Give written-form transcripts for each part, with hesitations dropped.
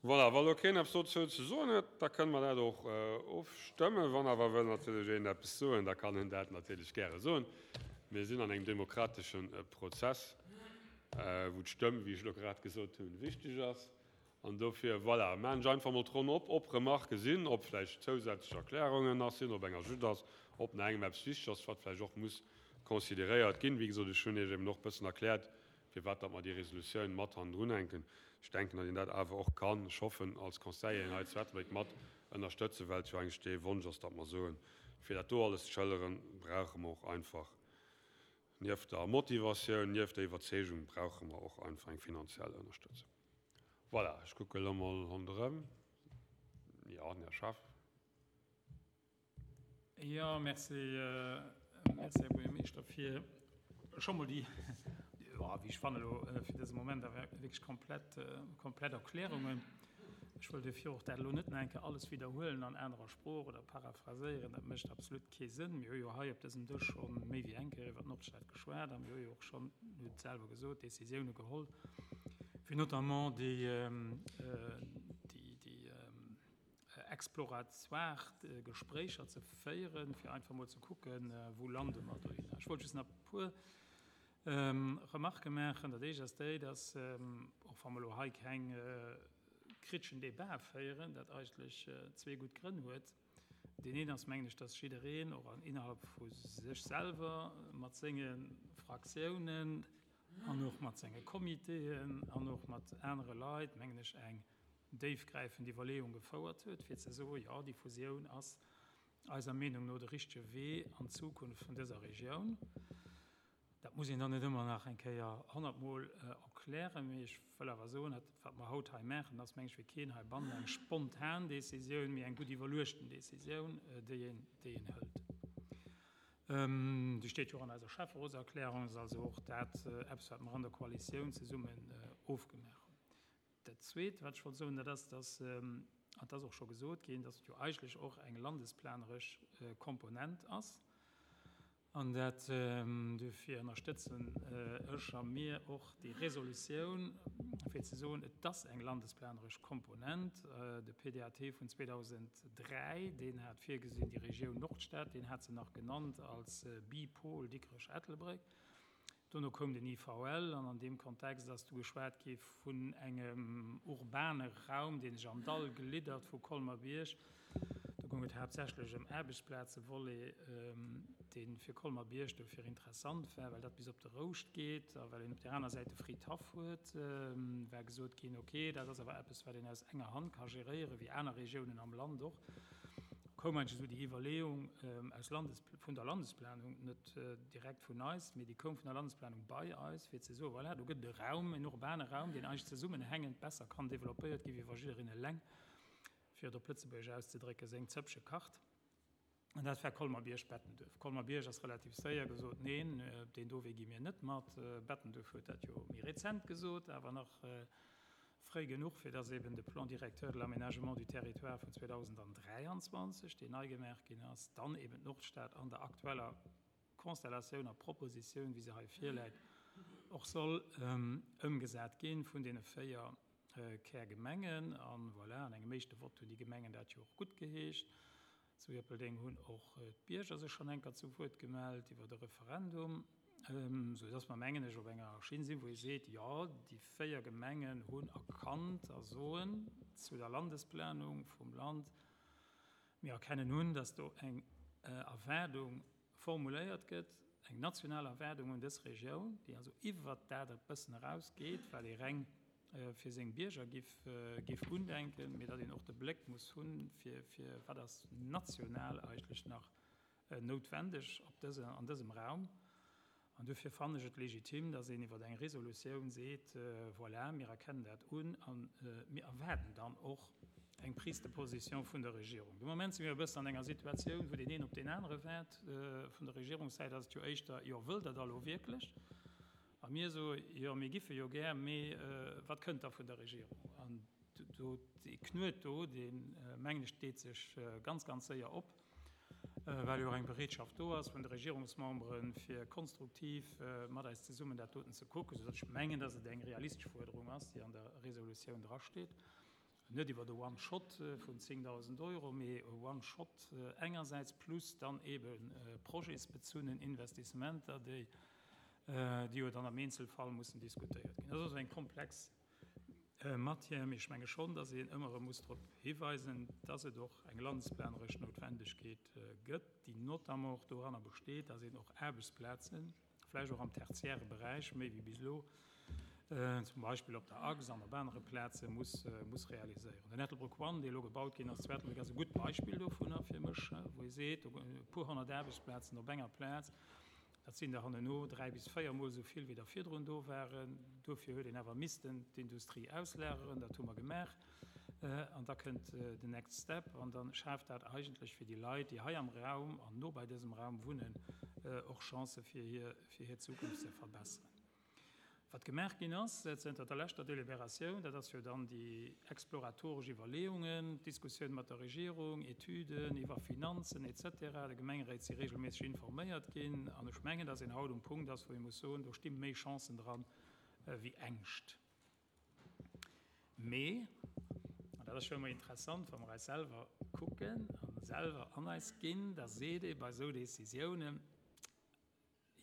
Voilà, wa lo keen eppes dozou ze soen huet, da kënne mer dat och ofstëmmen. Wann awer wëll natierlech een eppes soen, da kann en dat natierlech gäre soen. Mir sinn an engem demokratesche Prozess, wou d'Stëmm, wéi ech elo grad gesot hunn, wichteg ass. An dofir, voilà, maachen ech einfach emol d'Ronn op, ob Remarquë sinn, ob vläicht zousätzlech Erklärungen nach sinn, ob eng Ajout ass, ob nach engem eppes wichteg ass, wat vläicht och muss consideréiert ginn. Wéi gesot, ech hunn Iech eben och e bëssen erkläert, firwat datt mer déi Resolutioun mat hannendrun hänken. Ech denken, datt een dat awer och kann, ech hoffen, als Conseilleren hei zu Ettelbréck mat ënnerstëtzen, well et jo eigentlech dee Wonsch ass, datt mer soen, fir dat do alles ze schëlleren, brauche mer och einfach, nieft der Motivatioun, nieft der Iwwerzeegung, brauche mer och einfach eng finanziell Ënnerstëtzung. Voilà, ech kucke elo mol ronderëm. Jo, den Här Schaaf. Jo, merci, merci, Här Buergermeeschter, fir scho mol déi, jo, wéi ech fannen elo fir dëse Moment awer wierklech komplett, komplett Erklärungen. Ech wëll duerfir och dat elo net nach eng Kéier alles widderhuelen an anerer Sprooch oder paraphraséieren. Dat mécht absolut kee Sënn. Mir hu jo hei op dësem Dësch scho méi wéi eng Kéier iwwer d'Nordstad geschwat a mir hu jo och schonn, Dir hutt et selwer gesot, Décisioune geholl, fir notamment déi, déi, déi, exploratoire Gespréicher ze féieren, fir einfach mol ze kucken, wou lande mer dohinner. Ech wollt just nach e puer Remarquë maachen. Dat éischt ass déi, dass, och wa mer elo hei keng kriteschen Debat féieren, dat eigentlech zwee gutt Grënn huet. Deen een ass, mengen ech, dass jiddereen och innerhalb vu sech selwer mat senge Fraktiounen an och mat senge Comitéen an och mat anere Leit, mengen ech, eng déifgräifend Iwwerleeung gefouert huet, fir ze soen, jo, déi Fusioun ass eiser Meenung no de richtege Wee an d'Zukunft vun dëser Regioun. Dat muss een dann net ëmmer nach eng Kéier honnertmol erklären, mee ech wëll awer soen, dat, wat mer haut hei maachen, ass, meng ech, fir keen heibannen eng spontan Décisioun, mee eng gutt iwwerluechten Décisioun, déi een, déi een hëlt. Déi steet jo och an eiser Schäfferotserklärung, ass also och dat eppes, wat mer an der Koalitioun zesummen ofgemaach hunn. Dat Zweet, wat ech wollt soen, dat ass, dass, an et ass och scho gesot ginn, dass et jo eigentlech och eng landesplaneresch Komponent ass. An dat, duerfir ënnerstëtzen ech a mir och déi Resolutioun, fir ze soen, et ass eng landesplaneresch Komponent. De PDAT vun 2003, deen hat virgesinn, déi Regioun Nordstad, deen hat se nach genannt als Bipol Dikrech-Ettelbréck. Dono koum den IVL an an deem Kontext ass du geschwat gi vun engem urbane Raum, dee sech am Dall gliddert vu Colmer-Bierg. Do goung et haaptsächlech ëm Aarbechtsplazevolet, dee fir Colmer-Bierg dofir interessant war, well dat bis op de Rouscht geet a well een op där aner Säit de Fridhaff huet, war gesot ginn, ok, dat ass awer eppes, wat een aus enger Hand ka geréieren, wéi aner Regiounen am Land och. Koum eigentlech esou déi Iwwerleeung aus Landes, vun der Landesplanung, net direkt vun eis, mee déi koum vun der Landesplanung bei eis, fir ze soen, voilà, do gëtt et e Raum, en urbane Raum, deen eigentlech zesummenhängend besser kann développéiert ginn, wéi wa jiddereen eleng, fir et op Lëtzebuergesch auszedrécken, seng Zëppche kacht. An dat war Colmer-Bierg-Bettenduerf. Colmer-Bierg ass relativ séier gesot, neen, op deen do Wee gi mir net mat. Bettenduerf huet dat jo méi rezent gesot, awer nach Fréi genuch, fir dass eben de Plan directeur de l'aménagement du territoire vun 2023, deen nei gemaach ginn ass, dann eben d'Nordstad an der aktueller Konstellatioun a Propositioun, wéi se hei virläit, och soll ëmgesat gi vun deene 4 Kärgemengen. A voilà, an engem éischte Vott hunn déi Gemengen dat jo och guttgeheescht. Zu Ierpeldeng hunn och d'Bierger sech schonn enker zu Wuert gemellt iwwert e Referendum, sou dass mer, mengen ech, op enger Schinn sinn, wou ee seet, jo, déi 4 Gemengen hunn erkannt a soen zu der Landesplanung vum Land, mir erkennen un, dass do eng Erwaardung formuléiert gëtt, eng national Erwaardung un dës Regioun, déi also iwwert dat e bëssen erausgeet, wat ee reng fir seng Bierger giff giff undenken, mee datt een och de Bléck muss hunn, fir fir wat ass national eigentlech nach noutwendeg op dëse an dësem Raum. An duerfir fannen ech et legitim, datt een iwwer eng Resolutioun seet, voilà, mir erkennen dat un a mir erwaarden dann och eng Prise de position vun der Regierung. De Moment si mir e bëssen an enger Situatioun, wou deen een op deen anere waart. Vun der Regierungssäit ass et jo éischter, jo, wëllt Der da lo wierklech? A mir soe jo, mir giffe jo gär, mee wat kënnt da vun der Regierung? An do, dee Knuet do, dee mengen ech, deet sech ganz, ganz séier op, well jo och eng Bereetschaft do ass vun de Regierungsmemberen, fir konstruktiv mat eis zesummen dat doten ze kucken, soudatt ech mengen, datt et eng realistesch Fuerderung ass, déi an der Resolutioun drasteet. Net iwwer e One-Shot vun 10.000 Euro, mee e One-Shot engersäits plus dann eebe projetsbezunnen Investissementer, déi jo dann am Eenzelfall mussen diskutéiert ginn. Dat ass also eng komplex Matière, mee ech menge schonn, dass een ëmmer erëm muss drop hiweisen, dass et och eng landesplaneresch Noutwendegkeet gëtt, déi notamment och doranner besteet, dass een och Aarbechtsplazen, vläicht och am tertiäre Beräich méi wéi bis elo, zum Beispill op der Achs an op anere Plaze muss, muss realiséieren. Den Ettelbréck One, dee elo gebaut ginn ass zu Ettelbréck, ass e gutt Beispill dovunner fir mech, wou ee seet, do e puer honnert Aarbechtsplazen op enger Plaz, dat sinn der hanneno dräi bis véiermol esou vill, wéi der virdrun do waren. Dofir huet een awer missten d'Industrie auslageren, dat hu mer gemaach. An da kënnt den next step an da schaaft dat eigentlech fir déi Leit, déi hei am Raum an no bei dësem Raum wunnen, och Chancë fir hir, fir hir Zukunft ze verbesseren. Wat gemaach ginn ass zënter der leschter Deliberatioun, dat ass jo dann déi exploratoresch Iwwerleeungen, d'Diskussioun mat der Regierung, Etüden iwwer Finanzen et cetera. De Gemengeréit si regelméisseg informéiert ginn an ech mengen, dass een haut um Punkt ass, wou ee muss soen, do sti méi Chancen dran wéi Ängscht. Mee, an dat ass jo ëmmer interessant, wa mer eis selwer kucken a selwer an eis ginn, da seet ee bei esou Décisiounen,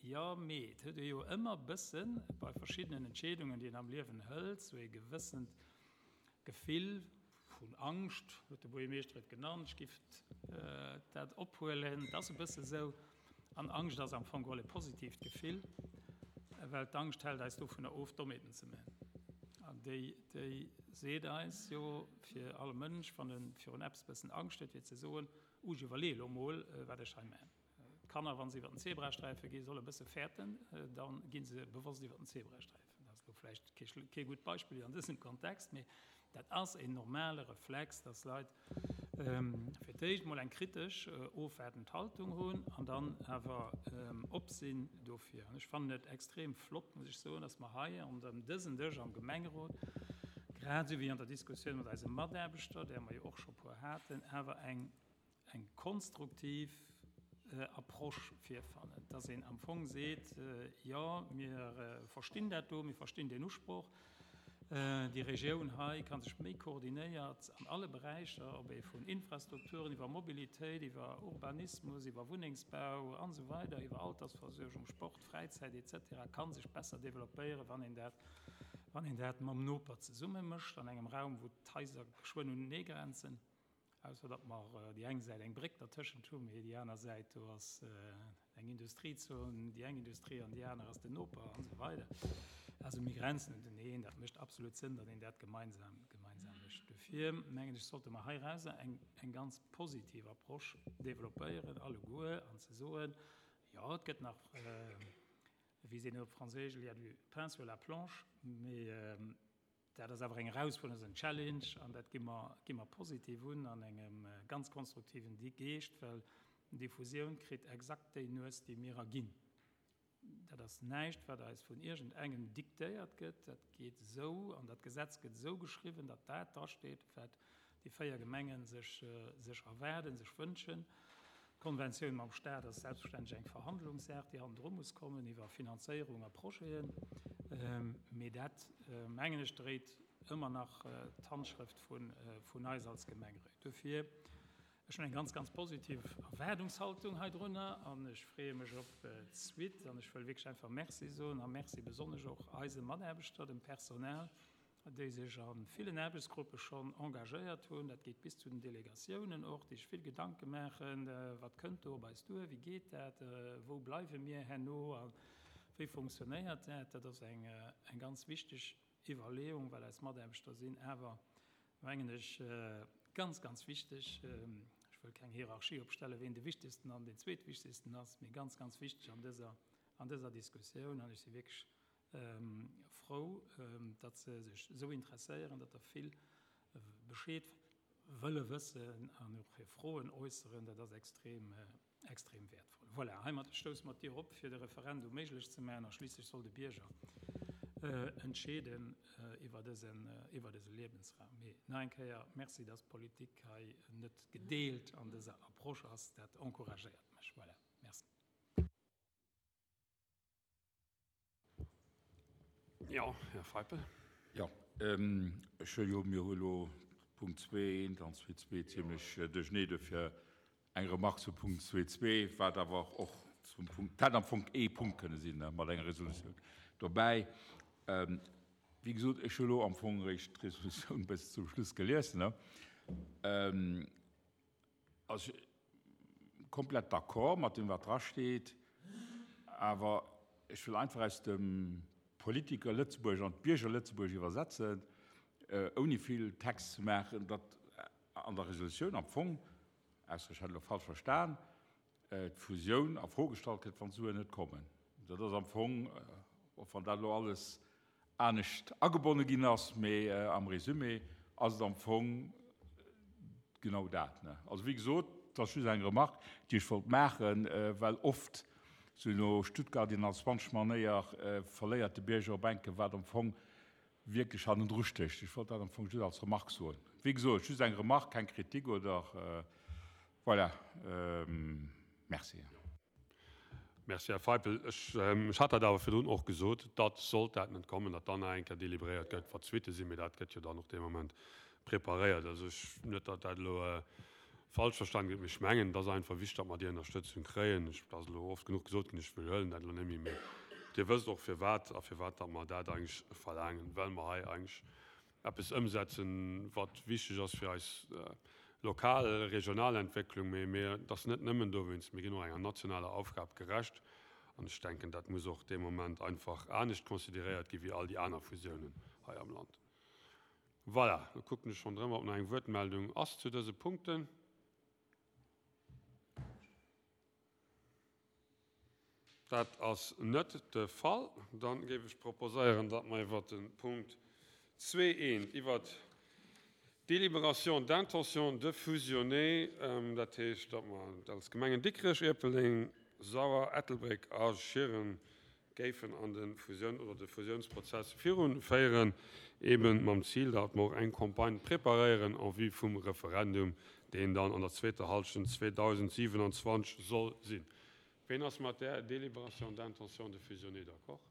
Jo, mee et huet ee jo ëmmer e bësse bei verschiddenen Entscheedungen, déi een am Liewen hëlt, sou ee gewëssent Gefill vun Angscht, huet de Buergermeeschter et genannt, ech giff dat ophuelen, et ass e bësse sou. An Angscht ass am Fong geholl e positiivt Gefill, well d'Angscht hält eis dovunner of, Dommheeten ze man. An déi, déi seet eis jo, fir all Mënsch, wann e virun eppes bëssen Angscht huet, fir ze soen, Uh, ech iwwerleeë lo mol, wat ech hei man. D'Kanner, wa se iwwer den Zebrasträife ginn, solle bësse fäerten, da gi se bewosst iwwer den Zebrasträifen. Dat ass elo vläicht kee gutt Beispill an dësem Kontext, mee dat ass en normale Reflex, dass Leit fir d'éischt mol eng kritesch, ofwaardend Haltung hunn an dann awer op sinn dofir. An ech fannen et extrem flott, muss ech soen, dass mer hei an dësen Dësch am Gemengerot, grad esou wéi an der Diskussioun mat eise Mataarbechter, där mer jo och scho puer haten, awer eng eng konstruktiv Approche virfannen, dass een am Fong seet, jo, mir verstinn dat do, mir verstinn deen Usproch, déi Regioun hei ka sech méi koordinéiert an alle Beräicher, ob ee vun Infrastrukturen iwwer Mobilitéit, iwwer Urbanismus, iwwer Wunnengsbau an esou weider, iwwer Altersversuergung, Sport, Fräizäit et cetera, ka sech besser développéieren, wann een dat, wann een dat mam Noper zesumme mécht an engem Raum, wou d'Haiser geschwënn unenee grenzen. Ausser datt mer déi eng Säit eng Bréck dertëschent hunn, mee déi aner Säit, do ass eng Industriezon, déi eng Industrie an déi aner ass den Noper an esou weider. Also mir grenzen uneneen. Dat mécht absolut Sënn, datt een dat gemeinsam, gemeinsam mécht. Dofir mengen ech, sollte mer heirauser eng, eng ganz positiv Approche developpéieren alleguer an ze soen, jo, et gëtt nach, wéi seet een op Franséisch, il y a du pain sur la planche, mee Dat ass awer eng Erausfuerderung, ass en Challenge an dat gi mer, gi mer positiv un an engem ganz konstruktiven Geescht, well déi Fusioun kritt exakt déi Nues, déi mir erginn. Dat ass näischt, wat eis vun iergendengem diktéiert gëtt. Dat geet esou an dat Gesetz gëtt esou geschriwwen, datt dat drasteet, wat déi 4 Gemenge sech, sech erwaarden, sech wënschen. D'Konventioun mam Staat ass selbstverständlech eng Verhandlungssaach, déi hannendru muss kommen iwwer Finanzéierung a Projeten. Mee dat, mengen ech, dréit ëmmer nach d'Handschrëft vun eis als Gemengeréit. Dofir, ech hunn eng ganz, ganz positiv Erwaardungshaltung heidrunner an ech freeë mech op d'Suite. An ech wëll wierklech einfach Merci soen a Merci besonnesch och eise Mataarbechter, dem Personal, déi sech a villen Aarbechtsgruppe schonn engagéiert hunn, dat geet bis zu den Delegatiounen och, déi sech vill Gedanke maachen, wat kënnt do op eis duer, wéi geet dat, wou bleiwe mir herno a wéi funktionéiert dat. Dat ass eng ganz wichteg Iwwerleeung, well eis Mataarbechter sinn awer, mengen ech, ganz, ganz wichteg. Ech wëll keng Hierarchie opstellen, ween de wichtegsten an deen zweetwichtegsten ass, mee ganz, ganz wichteg an dëser, an dëser Diskussioun. An ech si wierklech Frou, datt se sech esou interesséieren, datt der vill Bescheed wëlle wëssen an och hir Froen äusseren. Dat ass extrem, extrem wäertvoll. Voilà, heimat stousse mer d'Dier op, fir de Referendum méiglech ze maachen. A schliisslech soll de Bierger entscheeden iwwer dësen, iwwer dëse Liewensraum. Mee nach eng Kéier Merci, datt d'Politik hei net gedeelt an dëser Approche ass. Dat encouragéiert mech. Voilà, merci. Jo, Här Feipel. Jo, ech hu jo, mir hu elo. Punkt 2.1 an 2.2 zimlech duerchenee. Dofir eng Remarque zu Punkt 2.2, wat awer och zum Punkt, dat hätt am Fong ee Punkt kënne sinn mat enger Resolutioun dobäi. Wéi gesot, ech hu elo am Fong eréischt d'Resolutioun bis zum Schluss gelies. Also komplett d'accord mat deem wat dra steet, awer ech wëll einfach aus dem Politiker Lëtzebuerg an d'Bierger Lëtzebuerg iwwersetzen, ouni vill Text ze maachen, datt an der Resolutioun am Fong, ausser ech hätt elo falsch verstan, d'Fusioun a Fro gestallt gëtt, wann d'Suen net kommen. Dat ass am Fong, och wann dat elo alles anescht agebonne ginn ass, mee am Résumé ass et am Fong genau dat. Also wéi gesot, et ass just eng Remarque, déi ech wollt maachen, well oft, sou no Stuttgart 21 Manéier, verléiert de Bierger op enke wat am Fong wierklech hannendru stécht. Ech wollt dat am Fong just als Remarque soen. Wéi gesot, just eng Remarque, keng Kritik oder voilà. Merci. Merci, Här Feipel. Ech hat dat awer virdrun och gesot, datt, sollt dat net kommen, datt dann nach eng Kéier délibéréiert gëtt, wat d'Suitte sinn. Mee dat gëtt jo dann och dee Moment preparéiert. Also ech, net datt dat elo falsch verstan gëtt, mee ech mengen, et ass einfach wichteg, datt mer déi Ënnerstëtzung kréien. Ech, dat ass elo oft genuch gesot ginn, ech widderhuelen dat elo net méi, mee Dir wësst och firwat a firwat datt mer dat eigentlech verlaangen, well mer hei eigentlech eppes ëmsetzen, wat wichteg ass fir eis lokal, regional Entwécklung, mee mir, et ass net nëmmen dowéinst, mir ginn och enger nationaler Aufgab gerecht an ech denken, dat muss och dee Moment einfach anescht consideréiert gi wéi all déi aner Fusiounen hei am Land. Voilà, da kucken ech ronderëm, ob nach eng Wuertmeldung ass zu dëse Punkten. Dat ass net de Fall. Da géif ech proposéieren, datt mer iwwert de Punkt 2.1, iwwert d'Délibération d'intention de fusionner, dat heescht, datt mer als Gemengen Dikrech, Ierpeldeng, Sauer, Ettelbréck a Schieren géifen an de Fusioun oder de Fusiounsprozess virunféieren, eeben mam Zil, datt mer och eng Campagne preparéieren en vue vum Referendum, deen dann an der zweeter Hallschent 2027 soll sinn. Ween ass mat där Délibération d'intention de fusionner d'accord?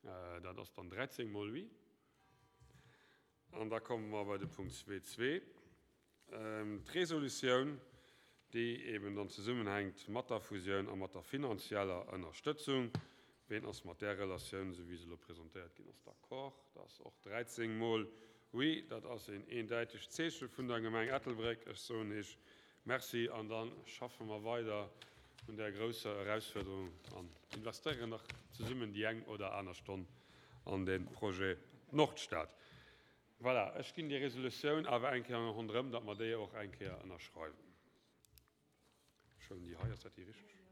Dat ass dann 13 mol oui. An da komme mer bei de Punkt 2.2, d'Resolutioun, déi eben dann zesummenhänkt mat der Fusioun a mat der finanzieller Ënnerstëtzung. Ween ass mat där Relatioun, esou wéi se elo presentéiert ginn ass, d'accord? Dat ass och 13 mol oui. Dat ass een eendäitegt Zeeche vun der Gemeng Ettelbréck. Ech soen Iech Merci an da schaffe mer weider un där grousser Erausfuerderung an investéieren nach zesummen déi eng oder aner Stonn an dee Projet Nordstad. Voilà, ech ginn déi Resolutioun awer eng Kéier ronderëm, datt mer déi och eng Kéier ënnerschreiwen. Ech huelen déi hei, ass dat déi richteg?